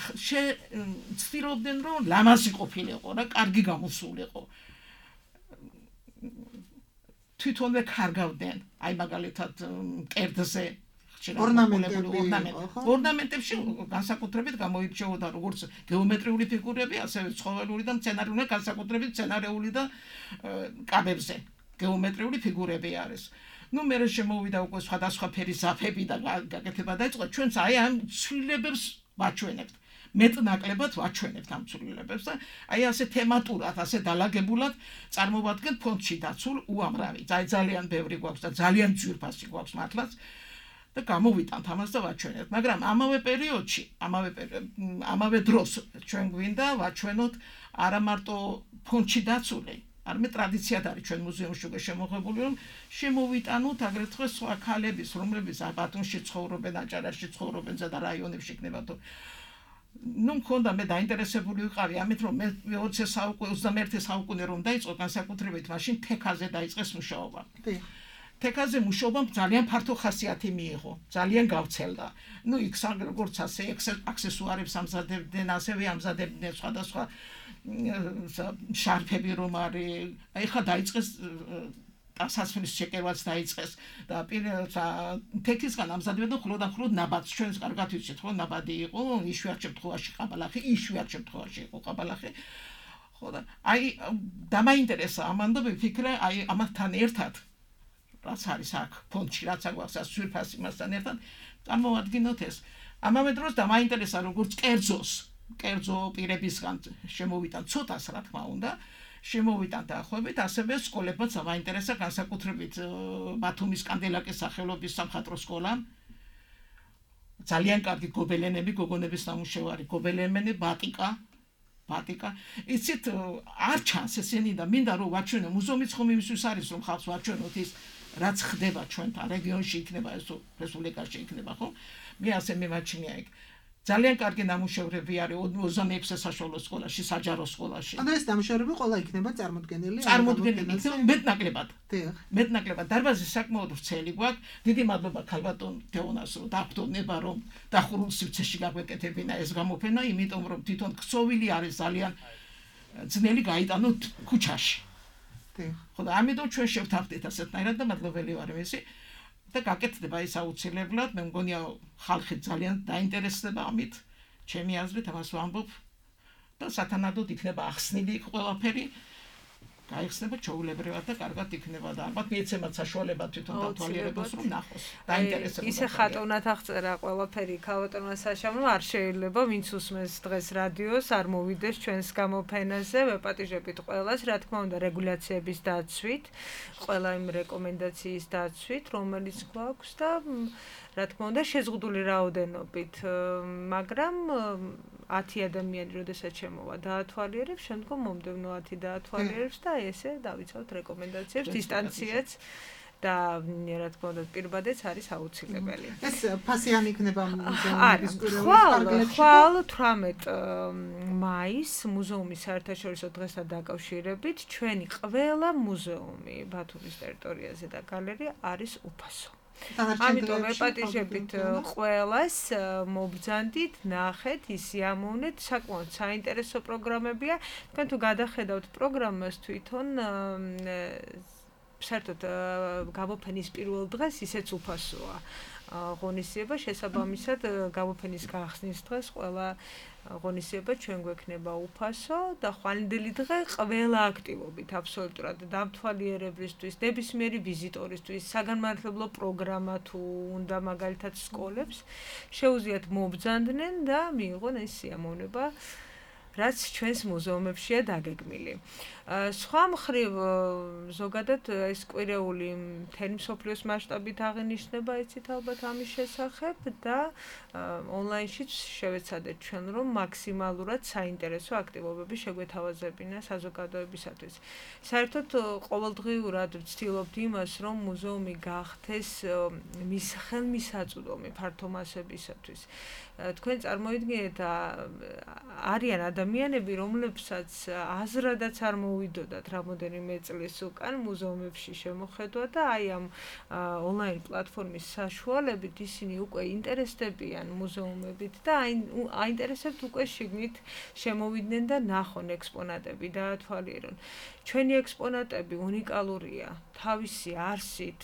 [SPEAKER 7] ცდილობდნენ, რომ ლამაზი ყოფილიყო რა, კარგი გამოსულიყო. თვითონვე კარგავდნენ, აი მაგალითად კერძზე ორნამენტებში განსაკუთრებით გამოირჩეოდა როგორც გეომეტრიული ფიგურები, ასევე ცხოველური და მცენარეული, განსაკუთრებით მცენარეული და კაბებზე გეომეტრიული ფიგურები არის. ნუ მე შემოვიდა უკვე სხვადასხვა ფერის ზაფები და გაკეთება დაიწყო. ჩვენც აი ამ ცვლილებებს ვაჩვენებთ. მეტნაკლებად ვაჩვენებთ ამ ცვლილებებს და აი ასე თემატურად, ასე დალაგებულად წარმოვადგენთ ფონდში დაცულ უამრავი. ძალიან ბევრი გვაქვს და ძალიან ძვირფასი გვაქვს მართლაც. და გამოვიტანთ ამას და ვაჩვენებთ, მაგრამ ამავე პერიოდში, ამავე ამავე დროს ჩვენ გვინდა ვაჩვენოთ არა მარტო ფონდში დაცული, არამედ ტრადიციად არის ჩვენ მუზეუმში უკვე შემოღებული, რომ შემოვიტანოთ აგრეთვე სხვა ქალების, რომლებიც ბათუმში ცხოვრობენ, აჭარაში ცხოვრობენ და რაიონებში იქნება თუ ნუ მქონდა მე დაინტერესებული ვიყავი ამით, რომ მე ოცდაათე საუკუნე, ოცდამეერთე საუკუნე რომ დაიწყო განსაკუთრებით მაშინ თექაზე დაიწყეს მუშაობა. თექაზე მუშაობამ ძალიან ფართო ხასიათი მიიღო, ძალიან გავცელდა. ნუ იქ როგორც ასე აქსესუარებს ამზადებდნენ, ასევე ამზადებდნენ სხვადასხვა შარფები რომ არის. აი ხა დაიწყეს დასასრულის შეკევაც დაიწყეს და თექისგან ამზადებდნენ მხოლოდ და მხოლოდ ნაბადს. ჩვენს კარგად ვიცით, ხო, ნაბადი იყო, იშვიათ შემთხვევაში ყაბალახი, იშვიათ შემთხვევაში იყო ყაბალახი. ხო და აი დამაინტერესა ამან და ვიფიქრე აი ამათთან ერთად რაც არის აქ ფონდში, რაც აგვაქვს სვირფას იმასთან ერთად წარმოვადგინოთ ეს. ამავე დროს დამაინტერესა როგორც კერძოს, კერძო პირებისგან შემოვიტან ცოტას რა თქმა უნდა, შემოვიტან დაახლოებით, ასევე სკოლებმაც დამაინტერესა განსაკუთრებით ბათუმის კანდელაკის სახელობის სამხატვრო სკოლა. ძალიან კარგი გობელენები, გოგონების ნამუშევარი, გობელენები, ბატიკა, ბატიკა. იცით არ ჩანს ესენი და მინდა რომ ვაჩვენო, მუზეუმიც ხომ იმისთვის არის რომ ხალხს ვაჩვენოთ ის რაც ხდება ჩვენთან რეგიონში იქნება ეს რესპუბლიკაში იქნება ხო? მე ასე მემაჩნია იქ. ძალიან კარგი ნამუშევრები არის ოცდამეექვსე საშუალო სკოლაში, საჯარო სკოლაში.
[SPEAKER 4] ანუ ეს ნამუშევრები ყველა იქნება წარმოდგენილი?
[SPEAKER 7] წარმოდგენილი, მეტნაკლებად. მეტნაკლებად. დარბაზი საკმაოდ ვრცელი გვაქვს. დიდი მადლობა ქალბატონ თეონას რომ დაგვდოვნება რომ დახურულ სივრცეში გაგვეკეთებინა ეს გამოფენა, იმიტომ რომ თვითონ ქსოვილი არის ძალიან ძნელი გაიტანოთ ქუჩაში. ხო და ამიტომ ჩვენ შევთანხმდით ასეთნაირად და მადლობელი ვარ მისი და გაკეთდება ის აუცილებლად. მე მგონია ხალხი ძალიან დაინტერესდება ამით, ჩემი აზრით ამას ვამბობ და სათანადოდ იქნება ახსნილი ყველაფერი გაიხსნება ჩაულებრივად და კარგად იქნება და ალბათ მიეცემათ საშუალება თვითონ დათვალიერებას რომ ნახოს. დაინტერესებოდა.
[SPEAKER 5] ისე ხატოვნად აღწერა ყველაფერი ქალბატონმა საშამო არ შეიძლება ვინც უსმენს დღეს რადიოს არ მოვიდეს ჩვენს გამოფენაზე. ვეპატიჟებით ყველას, რა თქმა უნდა, რეგულაციების დაცვით, ყველა იმ რეკომენდაციის დაცვით, რომელიც გვაქვს და რა თქმა უნდა შეზღუდული რაოდენობით, მაგრამ ათი ადამიანი როდესაც შემოვა დაათვალიერებს, შემდგომ მომდევნო ათი დაათვალიერებს და ესე დავიცავთ რეკომენდაციებს, დისტანციაც და რა თქმა უნდა პირბადეც არის აუცილებელი.
[SPEAKER 4] ეს ფასიანი იქნება მუზეუმის კვირეულის პარკლებში.
[SPEAKER 5] ხვალ თვრამეტ მაისს მუზეუმის საერთაშორისო დღესთან დაკავშირებით ჩვენი ყველა მუზეუმი ბათუმის ტერიტორიაზე და გალერეა არის უფასო. ამიტომ ვეპატიჟებით ყველას მობრძანდით, ნახეთ, ისიამოვნეთ, საკმაოდ საინტერესო პროგრამებია. თქვენ თუ გადახედავთ პროგრამას თვითონ საერთოდ გამოფენის პირველ დღეს ისეც უფასოა. ღონისძიება შესაბამისად გამოფენის გახსნის დღეს ყველა ღონისძიება ჩვენ გვექნება უფასო და ხვალინდელი დღე ყველა აქტივობით აბსოლუტურად დამთვალიერებლისთვის, ნებისმიერი ვიზიტორისთვის, საგანმანათლებლო პროგრამა თუ უნდა მაგალითად სკოლებს შეუძლიათ მობრძანდნენ და მიიღონ ეს სიამოვნება რაც ჩვენს მუზეუმებშია დაგეგმილი. სხვა მხრივ ზოგადად ეს კვირეული მთელი მსოფლიოს მასშტაბით აღინიშნება იცით ალბათ ამის შესახებ და ონლაინშიც შევეცადეთ ჩვენ რომ მაქსიმალურად საინტერესო აქტივობები შეგვეთავაზებინა საზოგადოებისათვის. საერთოდ ყოველდღიურად ვცდილობთ იმას რომ მუზეუმი გახდეს მის ხელმისაწვდომი ფართო მასებისათვის. თქვენ წარმოიდგინეთ არიან ადამიანები რომლებსაც აზრადაც არ მოვიდოდათ რამოდენიმე წლის უკან მუზეუმებში შემოხედვა და აი ამ ონლაინ პლატფორმის საშუალებით ისინი უკვე ინტერესდებიან მუზეუმებით და აინტერესებთ უკვე შიგნით შემოვიდნენ და ნახონ ექსპონატები დაათვალიერონ. ჩვენი ექსპონატები უნიკალურია თავისი არსით,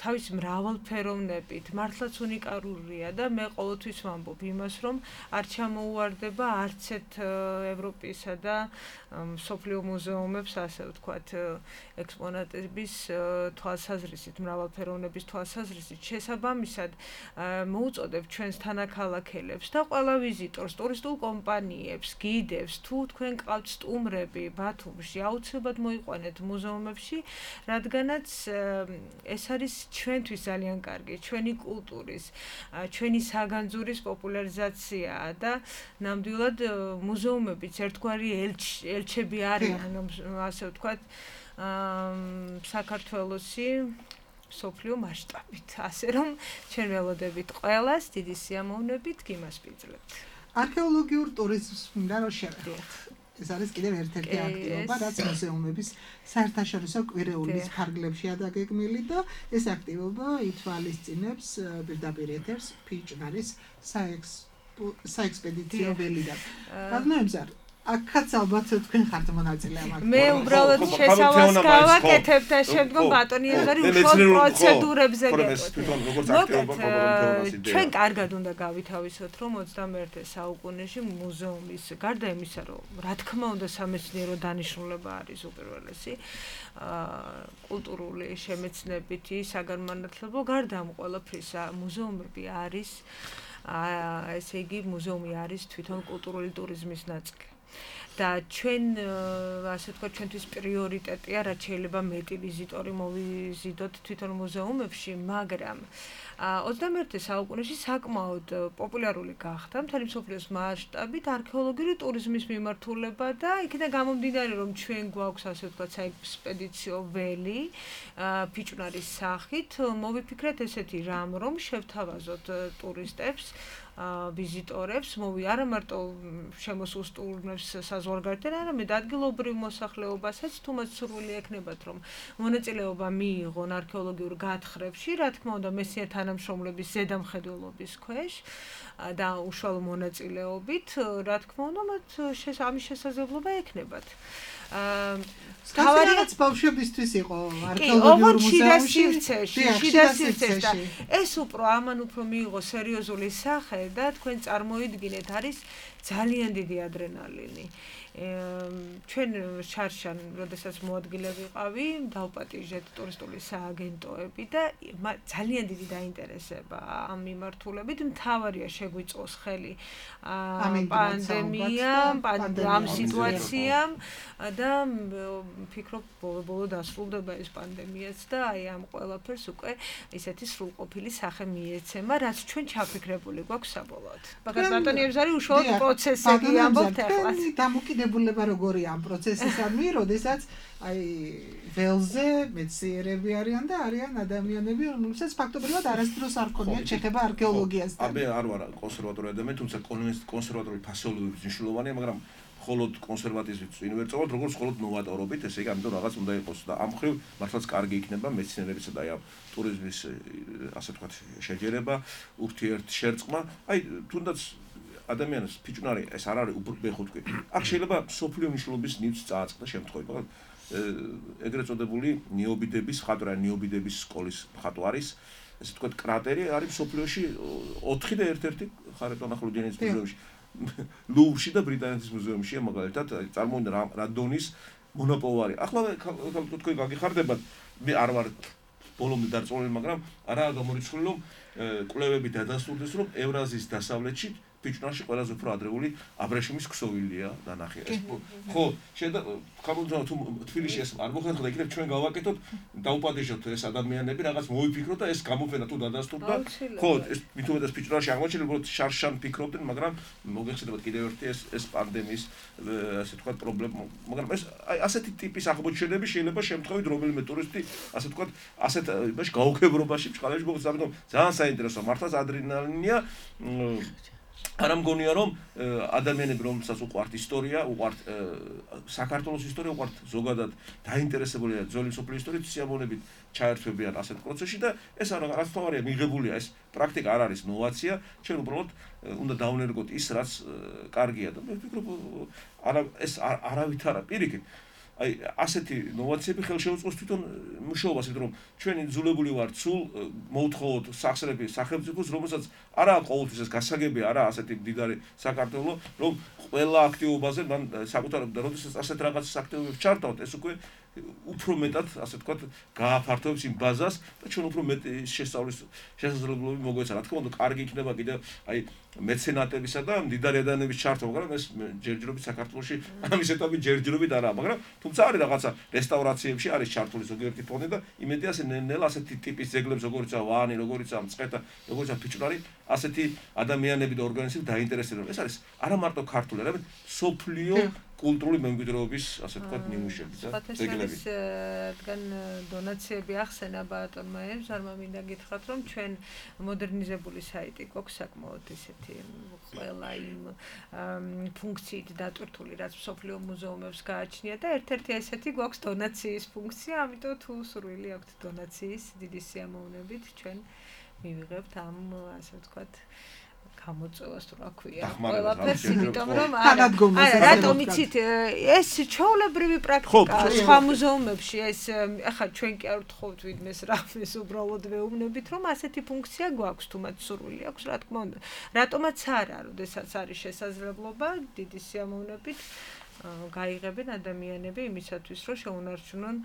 [SPEAKER 5] თავისი მრავალფეროვნებით, მართლაც უნიკალურია და მე ყოველთვის ვამბობ იმას, რომ არ ჩამოუვარდება არც ერთ ევროპისა და მსოფლიო მუზეუმებს, ასე ვთქვათ, ექსპონატების თვალსაზრისით, მრავალფეროვნების თვალსაზრისით. შესაბამისად, მოუწოდებ ჩვენს თანაქალაქელებს და ყველა ვიზიტორს, ტურისტულ კომპანიებს, გიდებს, თუ თქვენ ყავთ სტუმრები ბათუმში, აუცილებლად მოიყვანეთ მუზეუმებში, რადგანაც ეს არის ჩვენთვის ძალიან კარგი, ჩვენი კულტურის, ჩვენი საგანძურის პოპულარიზაციაა და ნამდვილად მუზეუმებიც ერთგვარი ელჩები არიან, ასე ვთქვათ, საქართველოსი მსოფლიო მასშტაბით, ასე რომ ჩვენ ველოდებით ყველას დიდი სიამოვნებით გიმასპინძლებთ.
[SPEAKER 4] არქეოლოგიურ ტურიზმს მინდა რომ შევეხოთ. ეს არის კიდევ ერთ-ერთი აქტივობა, რაც მუზეუმების საერთაშორისო კვირეულის ფარგლებშია დაგეგმილი და ეს აქტივობა ითვალისწინებს პირდაპირ ეთერს ფიჭნარის საექსპედიციო ველიდან. ბატონო, აქაც ალბათ თქვენ ხართ მონაწილე ამ აქტივობაში.
[SPEAKER 5] მე უბრალოდ შესავალს გავაკეთებ და შემდგომ ბატონი ეზარი უშუალოდ პროცედურებზე გეტყვით. ჩვენ კარგად უნდა გავითავისოთ, რომ ოცდამეერთე საუკუნეში მუზეუმის გარდა იმისა, რომ რა თქმა უნდა სამეცნიერო დანიშნულება არის უპირველესი, კულტურული შემეცნებითი, საგანმანათლებლო, გარდა ამ ყველაფრისა მუზეუმები არის, ესე იგი მუზეუმი არის თვითონ კულტურული ტურიზმის ნაწილი. და ჩვენ ასე ვთქვათ ჩვენთვის პრიორიტეტია რაც შეიძლება მეტი ვიზიტორი მოვიზიდოთ თვითონ მუზეუმებში, მაგრამ ოცდამეერთე საუკუნეში საკმაოდ პოპულარული გახდა მთელი მსოფლიოს მასშტაბით არქეოლოგიური ტურიზმის მიმართულება და იქიდან გამომდინარე რომ ჩვენ გვაქვს ასე ვთქვათ საექსპედიციო ველი ფიჭვნარის სახით, მოვიფიქრეთ ესეთი რამ რომ შევთავაზოთ ტურისტებს ვიზიტორებს, მოვი არა მარტო შემოსულ სტუმრებს საზღვარგარეთიდან, არამედ ადგილობრივ მოსახლეობასაც, თუ მათ სურვილი ექნებათ, რომ მონაწილეობა მიიღონ არქეოლოგიურ გათხრებში, რა თქმა უნდა, მეცნიერ თანამშრომლების ზედამხედველობის ქვეშ და უშუალო მონაწილეობით, რა თქმა უნდა, მათ ამის შესაძლებლობა ექნებათ.
[SPEAKER 4] თავარიაც ბავშვებისთვის იყო არქეოლოგიურ მუზეუმში.
[SPEAKER 5] შიდა სივრცეში. ეს უფრო ამან უფრო მიიღო სერიოზული სახე და თქვენ წარმოიდგინეთ, არის ძალიან დიდი ადრენალინი. ჩვენ შარშან, როდესაც მოადგილე ვიყავი, დავპატიჟეთ ტურისტული სააგენტოები და ძალიან დიდი დაინტერესება ამ მიმართულებით. მთავარია შეგვიწოს ხელი პანდემიამ, ამ სიტუაციამ და ვფიქრობ, ბოლო-ბოლო დასრულდება ეს პანდემიაც და აი ამ ყველაფერს უკვე ესეთი სრულყოფილი სახე მიეცემა, რაც ჩვენ ჩაფიქრებული გვაქვს საბოლოოდ. ბაგარ ბატონიებს არის უშუალოდ პროცესები ამბობთ ახლა.
[SPEAKER 4] დამოკიდებულება როგორია ამ პროცესისადმი, როდესაც აი ველზე მეცნიერები არიან და არიან ადამიანები, რომელსაც ფაქტობრივად არასდროს არ ქონიათ შეხება არქეოლოგიასთან.
[SPEAKER 6] აბე არ ვარ კონსერვატორი ადამიანი, თუმცა კონსერვატორული ფასეულობები მნიშვნელოვანია, მაგრამ მხოლოდ კონსერვატიზმით უნივერსალურად, როგორც მხოლოდ ნოვატორობით, ესე იგი, ამიტომ რაღაც უნდა იყოს და ამ მხრივ მართლაც კარგი იქნება მეცნიერებისა და აი ამ ტურიზმის ასე ვთქვათ შეჯერება, ურთიერთშერწყმა. აი თუნდაც ადამიანს ფიჭვნარი ეს არ არის უბრალოდ აქ შეიძლება სოფლიო მნიშვნელობის ნივთს წააწყდა შემთხვევით. ეგრეთ წოდებული ნიობიდების ხატვა, ნიობიდების სკოლის ხატვა არის, ესე ვთქვათ კრატერი არის სოფლიოში ოთხი და ერთ-ერთი ხარეტონახლუდიანის მუზეუმში. ლუვრში და ბრიტანეთის მუზეუმშია მაგალითად წარმოუდგინე რა დონის მონოპოლარი. ახლა თქვენ გაგიხარდებათ, მე არ ვარ ბოლომდე დარწმუნებული, მაგრამ არაა გამორიცხული, რომ კვლევები დადასტურდეს, რომ ევრაზიის დასავლეთში ფიჭვნარში ყველაზე უფრო ადრეული აბრეშუმის ქსოვილია დანახი. ხო, შეიძლება ხამუნდა თუ თბილისში ეს არ მოხერხდა, იქნებ ჩვენ გავაკეთოთ, დაუპატიჟოთ ეს ადამიანები, რაღაც მოიფიქროთ და ეს გამოფენა თუ დადასტურდა. ხო, ეს მით უმეტეს ფიჭვნარში აღმოჩენილი, უბრალოდ შარშან ფიქრობდნენ, მაგრამ მოგეხსენებათ კიდევ ერთი ეს ეს პანდემიის ასე ვთქვათ პრობლემა, მაგრამ ეს აი ასეთი ტიპის აღმოჩენები შეიძლება შემთხვევით რომელიმე ტურისტი ასე ვთქვათ ასეთ იმაში გაუგებრობაში ბჭყალებში მოგწეს, ამიტომ ძალიან საინტერესოა, მართლაც ადრენალინია. არ ამგონია რომ ადამიანები რომელსაც უყვართ ისტორია, უყვართ საქართველოს ისტორია, უყვართ ზოგადად დაინტერესებულია ძველი სოფლის ისტორიით, სიამოვნებით ჩაერთვებიან ასეთ პროცესში და ეს არის თავარია მიღებულია ეს პრაქტიკა არ არის ნოვაცია, ჩვენ უბრალოდ უნდა დავნერგოთ ის რაც კარგია და მე ვფიქრობ არა ეს არავით არა პირიქით აი ასეთი ნოვაციები ხელშეუწყოს თვითონ მუშაობას, იმიტომ რომ ჩვენი ძულებული ვართ სულ მოუთხოვოთ სახსრები სახელმწიფოს, რომელსაც არა ყოველთვის ეს გასაგებია, არა ასეთი მდიდარი საქართველო, რომ ყველა აქტივობაზე მან საკუთარ და როდესაც ასეთ რაღაც აქტივობებს ჩართავთ, ეს უკვე უფრო მეტად ასე ვთქვათ გააფართოვებს იმ ბაზას და ჩვენ უფრო მეტი შესწავლის შესაძლებლობები მოგვეცა. რა თქმა უნდა, კარგი იქნება კიდე აი მეცენატებისა და მდიდარი ადამიანების ჩართვა, მაგრამ ეს ჯერჯერობით საქართველოში ამის ეტაპი ჯერჯერობით არაა, მაგრამ თუმცა არის რაღაცა რესტავრაციებში არის ჩართული ზოგიერთი ფონდი და იმედი ასე ნელ ასეთი ტიპის ძეგლებს როგორიცაა ვანი, როგორიცაა მწყეთა, როგორიცაა ფიჭვნარი, ასეთი ადამიანები და ორგანიზმები დაინტერესებენ. ეს არის არა მარტო ქართული, არამედ სოფლიო კულტურული მემკვიდრეობის ასე ვთქვათ ნიმუშები და ძეგლები.
[SPEAKER 5] რადგან დონაციები ახსენა ბატონმა ემზარმა, მინდა გითხრათ, რომ ჩვენ მოდერნიზებული საიტი გვაქვს საკმაოდ ისეთი ყველა იმ ფუნქციით დატვირთული, რაც სოფლიო მუზეუმებს გააჩნია და ერთ-ერთი ესეთი გვაქვს დონაციის ფუნქცია, ამიტომ თუ სურვილი აქვთ დონაციის დიდი სიამოვნებით ჩვენ მივიღებთ ამ ასე ვთქვათ გამოწვევას თუ რა ქვია ყველაფერს, იმიტომ რომ არა რატომ იცით ეს ჩვეულებრივი პრაქტიკაა სხვა მუზეუმებში, ეს ახლა ჩვენ კი არ ვთხოვთ ვიდმეს რამეს, უბრალოდ ვეუბნებით რომ ასეთი ფუნქცია გვაქვს, თუ მათ სურვილი აქვს, რა თქმა უნდა, რატომაც არა, როდესაც არის შესაძლებლობა დიდი სიამოვნებით გაიღებენ ადამიანები იმისათვის, რომ შეუნარჩუნონ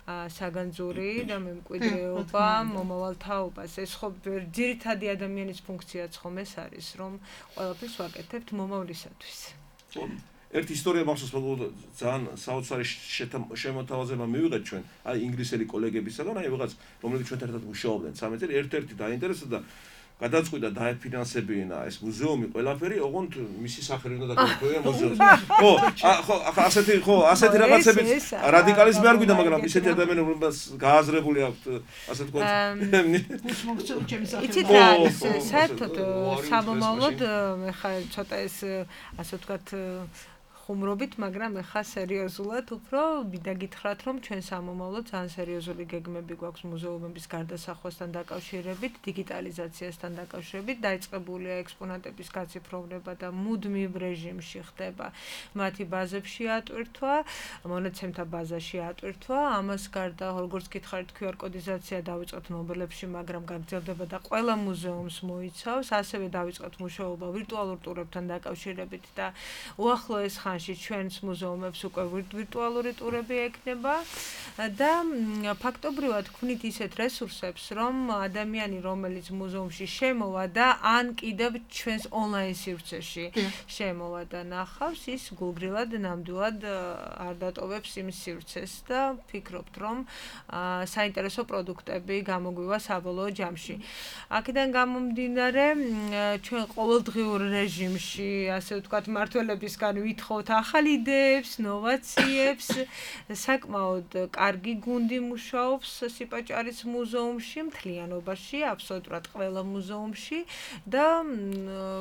[SPEAKER 5] საგანძური და მემკვიდრეობა მომავალ თაობას. ეს ხო ძირითადი ადამიანის ფუნქციაც ხომ ეს არის, რომ ყველაფერს ვაკეთებთ მომავლისათვის.
[SPEAKER 6] ერთი ისტორია მახსოვს, ძალიან საოცარი შემოთავაზება მივიღეთ ჩვენ, აი ინგლისელი კოლეგებისაგან, აი ვიღაც, რომლებიც ჩვენთან ერთად მუშაობდნენ სამი წელი, ერთ-ერთი დაინტერესდა და გადაწყვიტა დაეფინანსებინა ეს მუზეუმი ყველაფერი, ოღონდ მისი სახელი უნდა დაგეკვირა მუზეუმს. ხო, ხო, ასეთი ხო, ასეთი რაღაცები რადიკალიზმი არ გვინდა, მაგრამ ისეთი ადამიანები, რომელსაც გააზრებული აქვთ, ასე ვთქვათ.
[SPEAKER 5] იცით რა არის, საერთოდ სამომავლოდ მე ხა ცოტა ეს ასე ვთქვათ ხუმრობით, მაგრამ ეხა სერიოზულად უფრო მინდა გითხრათ, რომ ჩვენ სამომავლოდ ძალიან სერიოზული გეგმები გვაქვს მუზეუმების გარდასახვასთან დაკავშირებით, დიგიტალიზაციასთან დაკავშირებით, დაიწყებულია ექსპონატების გაციფროვნება და მუდმივ რეჟიმში ხდება მათი ბაზებში ატვირთვა, მონაცემთა ბაზაში ატვირთვა. ამას გარდა, როგორც გითხარით, კიუ არ კოდიზაცია დავიწყოთ ნობელებში, მაგრამ გაგრძელდება და ყველა მუზეუმს მოიცავს, ასევე დავიწყოთ მუშაობა ვირტუალურ ტურებთან დაკავშირებით და უახლოეს ხანში ჩვენს მუზეუმებს უკვე ვირტუალური ტურები ექნება და ფაქტობრივად გვქნით ისეთ რესურსებს, რომ ადამიანი, რომელიც მუზეუმში შემოვა და ან კიდევ ჩვენს ონლაინ სივრცეში შემოვა და ნახავს, ის გულგრილად ნამდვილად არ დატოვებს იმ სივრცეს და ფიქრობთ, რომ საინტერესო პროდუქტები გამოგვივა საბოლოო ჯამში. აქედან გამომდინარე, ჩვენ ყოველდღიურ რეჟიმში, ასე ვთქვათ, მმართველებისგან ვითხოვთ ახალ იდეებს, ნოვაციებს, საკმაოდ კარგი გუნდი მუშაობს სიპაჭარის მუზეუმში, მთლიანობაში, აბსოლუტურად ყველა მუზეუმში და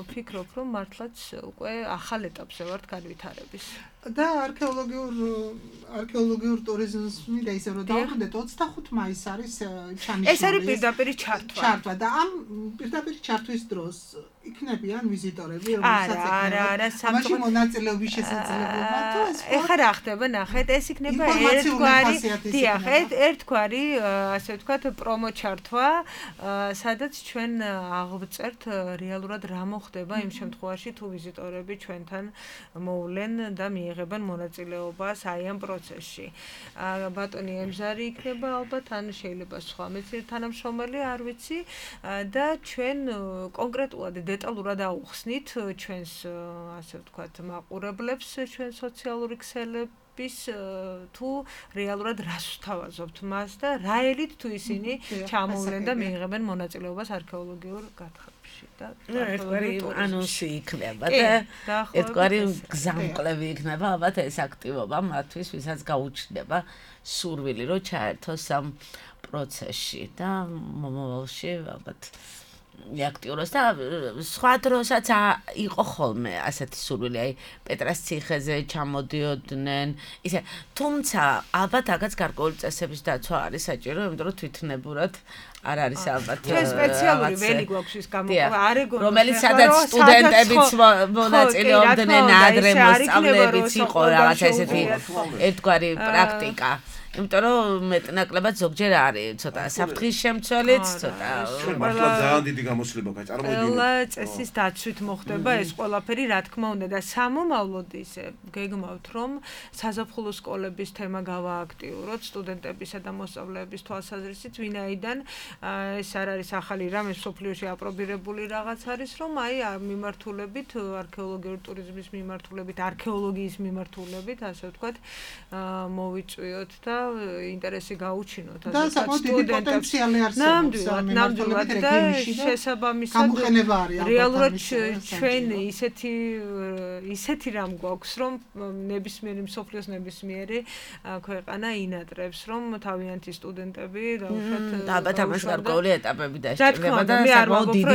[SPEAKER 5] ვფიქრობ, რომ მართლაც უკვე ახალ ეტაპზე ვართ განვითარების.
[SPEAKER 4] და არქეოლოგიურ არქეოლოგიურ ტურიზმი და ისე რომ დავხვდეთ ოცდახუთი მაისი არის ჩანიშნული.
[SPEAKER 5] ეს არის პირდაპირ ჩართვა.
[SPEAKER 4] ჩართვა და ამ პირდაპირ ჩართვის დროს იქნებიან ვიზიტორები, რომელსაც ექნება სამში მონაწილეობის შესაძლებლობა თუ ეს
[SPEAKER 5] ეხლა რა ხდება, ნახეთ, ეს იქნება ერთგვარი, დიახ, ერთგვარი, ასე ვთქვათ, პრომო ჩართვა, სადაც ჩვენ აღვწერთ რეალურად რა მოხდება იმ შემთხვევაში, თუ ვიზიტორები ჩვენთან მოვლენ და მიიღებენ მონაწილეობას აი ამ პროცესში. ბატონი ემზარი იქნება ალბათ, ან შეიძლება სხვა მეცნიერ თანამშრომელი, არ ვიცი, და ჩვენ კონკრეტულად დეტალურად აუხსნით ჩვენს, ასე ვთქვათ, მაყურებლებს, ჩვენ სოციალური ქსელების თუ რეალურად რას ვთავაზობთ მას და რა ელით თუ ისინი ჩამოვლენ და მიიღებენ მონაწილეობას არქეოლოგიურ გათხრებში და
[SPEAKER 3] ერთგვარი ანონსი იქნება და ერთგვარი გზამკვლევი იქნება ალბათ ეს აქტივობა მათთვის, ვისაც გაუჩნდება სურვილი რომ ჩაერთოს ამ პროცესში და მომავალში ალბათ აქტიუროს და სხვა დროსაც იყო ხოლმე ასეთი სურვილი, აი პეტრას ციხეზე ჩამოდიოდნენ, ისე, თუმცა ალბათ აგაც გარკვეული წესების დაცვა არის საჭირო, იმიტომ რომ თვითნებურად არ არის ალბათ
[SPEAKER 5] ჩვენ სპეციალური ველი გვაქვს ის გამოყვა არეგონის,
[SPEAKER 3] რომელიც სადაც სტუდენტებიც მონაწილეობდნენ, ადრე მოსწავლეებიც იყო რაღაცა ესეთი ერთგვარი პრაქტიკა. იმიტომ რომ მეტნაკლებად ზოგჯერ არის ცოტა საფრთხის შემცველიც, ცოტა
[SPEAKER 6] მართლა ძალიან დიდი გამოსლება გაი წარმოიდგინეთ.
[SPEAKER 5] ყველა წესის დაცვით მოხდება ეს ყველაფერი, რა თქმა უნდა და სამომავლოდ ისე გეგმავთ, რომ საზაფხულო სკოლების თემა გავააქტიუროთ სტუდენტებისა და მოსწავლეების თვალსაზრისით, ვინაიდან ეს არ არის ახალი რამე, სოფლიოში აპრობირებული რაღაც არის, რომ აი მიმართულებით, არქეოლოგიური ტურიზმის მიმართულებით, არქეოლოგიის მიმართულებით, ასე ვთქვათ, მოვიწვიოთ და ინტერესი გაუჩინოთ
[SPEAKER 4] ასე ვთქვათ სტუდენტებს.
[SPEAKER 5] ნამდვილად, ნამდვილად და შესაბამისად რეალურად ჩვენ ისეთი ისეთი რამ გვაქვს, რომ ნებისმიერი მსოფლიოს ნებისმიერი ქვეყანა ინატრებს, რომ თავიანთი სტუდენტები დაუშვათ
[SPEAKER 3] ალბათ ამას გარკვეული ეტაპები დასჭირდება და საკმაოდ დიდი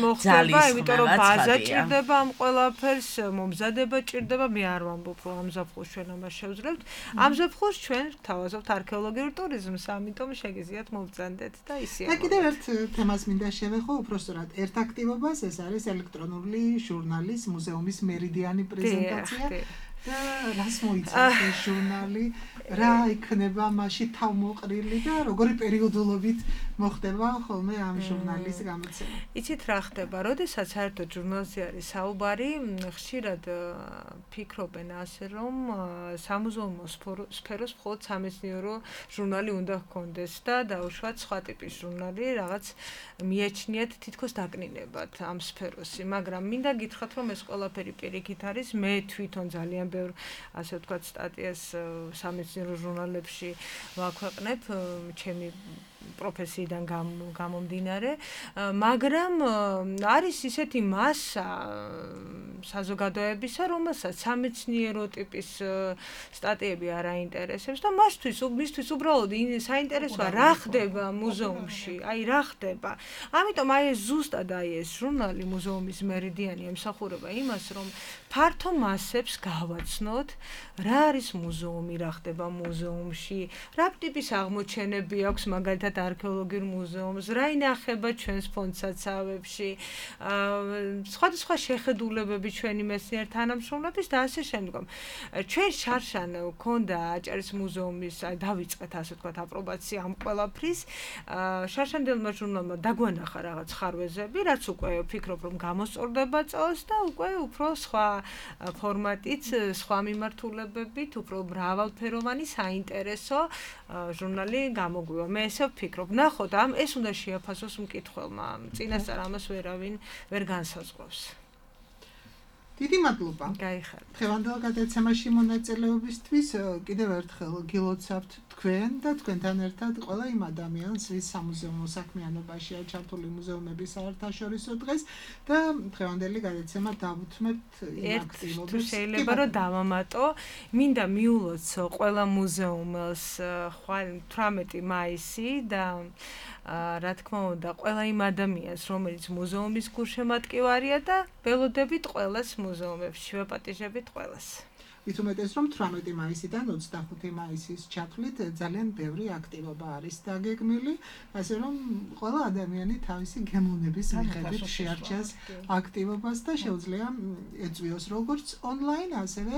[SPEAKER 5] მოხდება, იმიტომ რომ ბაზა ჭირდება ამ ყველაფერს, მომზადება ჭირდება, მე არ ვამბობ, რომ ამ ზაფხულს ჩვენ ამას შევძლებთ. ამ ზაფხულს ჩვენ თავაზობთ არქეოლოგიურ ტურიზმს, ამიტომ შეგიძლიათ მოვბრძანდეთ და ისე.
[SPEAKER 4] და კიდევ ერთ თემას მინდა შევეხო, უпростоრად ერთ აქტივობას, ეს არის ელექტრონული ჟურნალის მუზეუმის მერიდიანი პრეზენტაცია. და რას მოიცავს ეს ჟურნალი, რა იქნება მასში თავმოყრილი და როგორი პერიოდულობით მოხდება ხოლმე ამ ჟურნალის გამოცემა.
[SPEAKER 5] იცით რა ხდება, როდესაც საერთოდ ჟურნალზე არის საუბარი, ხშირად ფიქრობენ ასე, რომ სამუზეუმო სფეროს მხოლოდ სამეცნიერო ჟურნალი უნდა ჰქონდეს და დაუშვათ სხვა ტიპის ჟურნალი, რაღაც მიაჩნიათ თითქოს დაკნინებად ამ სფეროსი, მაგრამ მინდა გითხრათ, რომ ეს ყველაფერი პირიქით არის, მე თვითონ ძალიან ბევრ ასე ვთქვათ სტატიას სამეცნიერო ჟურნალებში ვაქვეყნებ, ჩემი პროფესიიდან გამომდინარე, მაგრამ არის ისეთი მასა საზოგადოებისა, რომელსაც სამეცნიერო ტიპის სტატიები არ აინტერესებს და მასთვის მისთვის უბრალოდ საინტერესოა რა ხდება მუზეუმში, აი რა ხდება. ამიტომ აი ეს ზუსტად აი ეს ჟურნალი მუზეუმის მერიდიანი ემსახურება იმას, რომ ფართო მასებს გავაცნოთ, რა არის მუზეუმი, რა ხდება მუზეუმში, რა ტიპის აღმოჩენები აქვს მაგალითად არქეოლოგიურ მუზეუმს, რა ინახება ჩვენს ფონდსაცავებში, სხვადასხვა შეხედულებები ჩვენი მეცნიერ თანამშრომლების და ასე შემდგომ. ჩვენ შარშან გვქონდა აჭარის მუზეუმის, აი დავიწყეთ ასე ვთქვათ აპრობაცია ამ ყველაფრის. შარშანელმა ჟურნალმა დაგვანახა რაღაც ხარვეზები, რაც უკვე ვფიქრობ რომ გამოსწორდება წელს და უკვე უფრო სხვა ფორმატით, სხვა მიმართულებებით, უფრო მრავალფეროვანი საინტერესო ჟურნალი გამოგვივა. მე ესე ვფიქრობ, ნახოთ, ამ ეს უნდა შეაფასოს მკითხველმა. წინასწარ ამას ვერავინ ვერ განსაზღვრავს.
[SPEAKER 4] დიდი მადლობა.
[SPEAKER 5] გაიხარეთ.
[SPEAKER 4] დღევანდელ გადაცემაში მონაწილეობისთვის კიდევ ერთხელ გილოცავთ თქვენ და თქვენთან ერთად ყველა იმ ადამიანს, ვის სამუზეუმო საქმიანობაშია ჩართული მუზეუმების საერთაშორისო დღეს და დღევანდელი გადაცემა დავუთმებთ იმ აქტივობებს.
[SPEAKER 5] შეიძლება რომ დავამატო, მინდა მიულოცო ყველა მუზეუმელს თვრამეტი მაისი და რა თქმა უნდა, ყველა იმ ადამიანს, რომელიც მუზეუმის გულშემატკივარია და ველოდებით ყველას მუზეუმებში, ვეპატიჟებით ყველას.
[SPEAKER 4] მით უმეტეს, რომ თვრამეტი მაისიდან ოცდახუთი მაისის ჩათვლით ძალიან ბევრი აქტივობა არის დაგეგმილი, ასე რომ ყველა ადამიანი თავისი გემოვნების მიხედვით შეარჩიოს აქტივობას და შეუძლია ეწვიოს როგორც ონლაინ, ასევე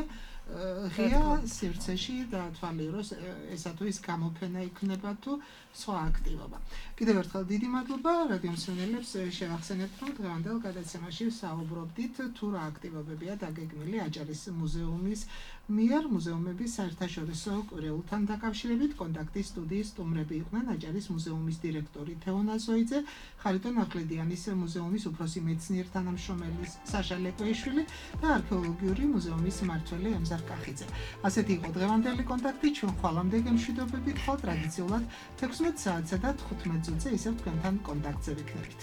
[SPEAKER 4] ღია სივრცეში დაათვალიეროს ესა თუ ის გამოფენა იქნება თუ სხვა აქტივობა. კიდევ ერთხელ დიდი მადლობა რადიო მსმენელებს შევახსენებთ, რომ დღევანდელ გადაცემაში საუბრობდით თუ რა აქტივობებია დაგეგმილი აჭარის მუზეუმის მიერ მუზეუმების საერთაშორისო კვირეულთან დაკავშირებით. კონტაქტის სტუდიის სტუმრები იყვნენ აჭარის მუზეუმის დირექტორი თეონა ზოიძე, ხარიტონ ახვლედიანის მუზეუმის უფროსი მეცნიერ თანამშრომელი საშა ლეკვეიშვილი და არქეოლოგიური მუზეუმის მმართველი ემზარ კახიძე. ასეთი იყო დღევანდელი კონტაქტი. ჩვენ ხვალამდე გემშვიდობებით, ხოლ ტრადიციულად თექვსმეტ საათსა და თხუთმეტ წუთზე ისევ თქვენთან კონტაქტზე ვიქნებით.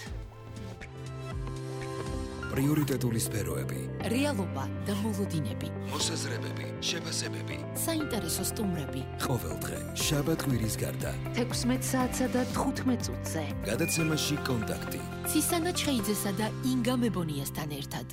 [SPEAKER 1] პრიორიტეტული სფეროები,
[SPEAKER 2] რეალობა და მოლოდინები,
[SPEAKER 1] მოსაზრებები, შეფასებები,
[SPEAKER 2] საინტერესო სტუმრები.
[SPEAKER 1] ყოველდღე შაბათ-კვირის გარდა
[SPEAKER 2] თექვსმეტ საათსა და თხუთმეტ წუთზე.
[SPEAKER 1] გადაცემაში კონტაქტი.
[SPEAKER 2] ცისანა ჩხეიძესა და ინგა მებონიასთან ერთად.